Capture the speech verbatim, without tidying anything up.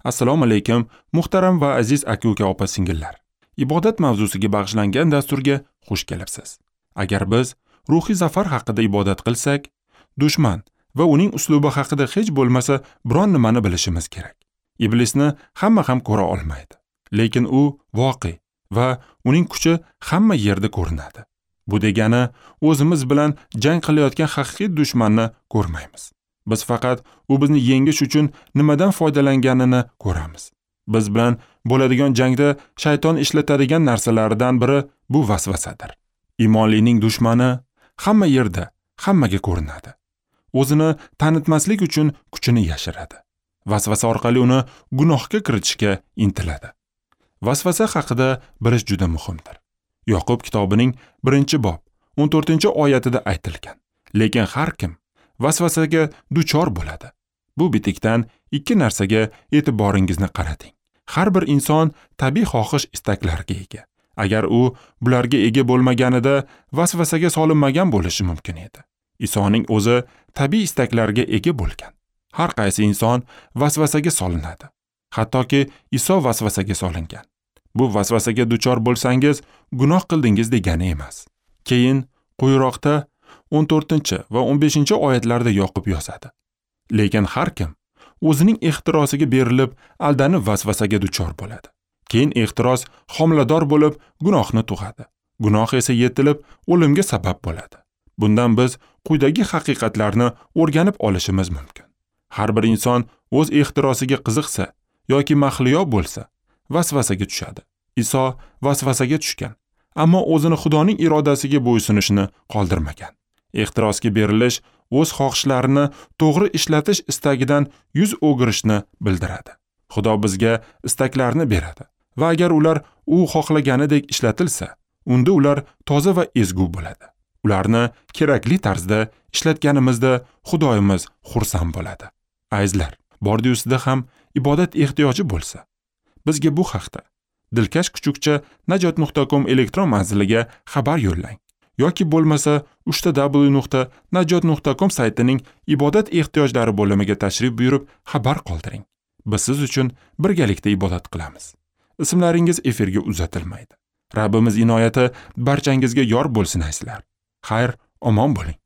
Assalomu alaykum, muhtaram va aziz aka-uka, opa-singillar. Ibodat mavzusiga bag'ishlangan dasturga xush kelibsiz. Agar biz ruhiy zafar haqida ibodat qilsak, dushman va uning uslubi haqida hech bo'lmasa biron nimani bilishimiz kerak. Iblisni hamma ham ko'ra olmaydi, lekin u voqe va uning kuchi hamma yerda ko'rinadi. Bu degani o'zimiz bilan jang qilayotgan haqiqiy dushmanni ko'rmaymiz. Biz faqat u bizni yengish uchun nimadan foydalanganini ko'ramiz. Biz bilan bo'ladigan jangda shayton ishlatadigan narsalaridan biri bu vasvasadir. Iymonlining dushmani hamma yerda, hammaga ko'rinadi. O'zini tanitmaslik uchun kuchini yashiradi. Vasvasa orqali uni gunohga kiritishga intiladi. Vasvasa haqida bilish juda muhimdir. Yoqub kitobining birinchi bob o'n to'rtinchi oyatida aytilgan. Lekin har kim vasvasaga duchor bo'ladi. Bu bitikdan ikki narsaga e'tiboringizni qarating. Har bir inson tabiiy xohish istaklarga ega. Agar u bularga ega bo'lmaganida vasvasaga solinmagan bo'lishi mumkin edi. Isoning o'zi tabiiy istaklarga ega bo'lgan. Har qaysi inson vasvasaga solinadi. Hattoki Iso vasvasaga solingan. Bu vasvasaga duchor bo'lsangiz, gunoh qildingiz degani emas. Keyin quyiroqda o'n to'rtinchi va o'n beshinchi oyatlarda Yoqub yozadi. Lekin har kim o'zining ehtirosiga berilib, aldanib vasvasaga duchor bo'ladi. Keyin ehtiros homilador bo'lib, gunohni tug'adi. Gunoh esa yetilib, o'limga sabab bo'ladi. Bundan biz quyidagi haqiqatlarni o'rganib olishimiz mumkin. Har bir inson o'z ehtirosiga qiziqsa yoki mahliyo bo'lsa, vasvasaga tushadi. Iso vasvasaga tushgan, ammo o'zini Xudoning irodasiga bo'ysunishini qoldirmagan. Ehtirosga berilish o'z xohishlarini to'g'ri ishlatish istagidan yuz o'girishni bildiradi. Xudo bizga istaklarni beradi va agar ular u xohlaganidek ishlatilsa, unda ular toza va ezgu bo'ladi. Ularni kerakli tarzda ishlatganimizda Xudoyimiz xursand bo'ladi. Azizlar, bordi-ustida ham ibodat ehtiyoji bo'lsa, bizga bu haqda dilkash kuchukcha najot nuqta com elektron manziliga xabar yo'llang yoki bo'lmasa uchta w nuqta najot nuqta com saytining ibodat ehtiyojlari bo'limiga tashrif buyurib xabar qoldiring. Biz siz uchun birgalikda ibodat qilamiz. Ismlaringiz efirga uzatilmaydi. Rabbimiz inoyati barchangizga yor bo'lsin azizlar. Xayr, omon bo'ling.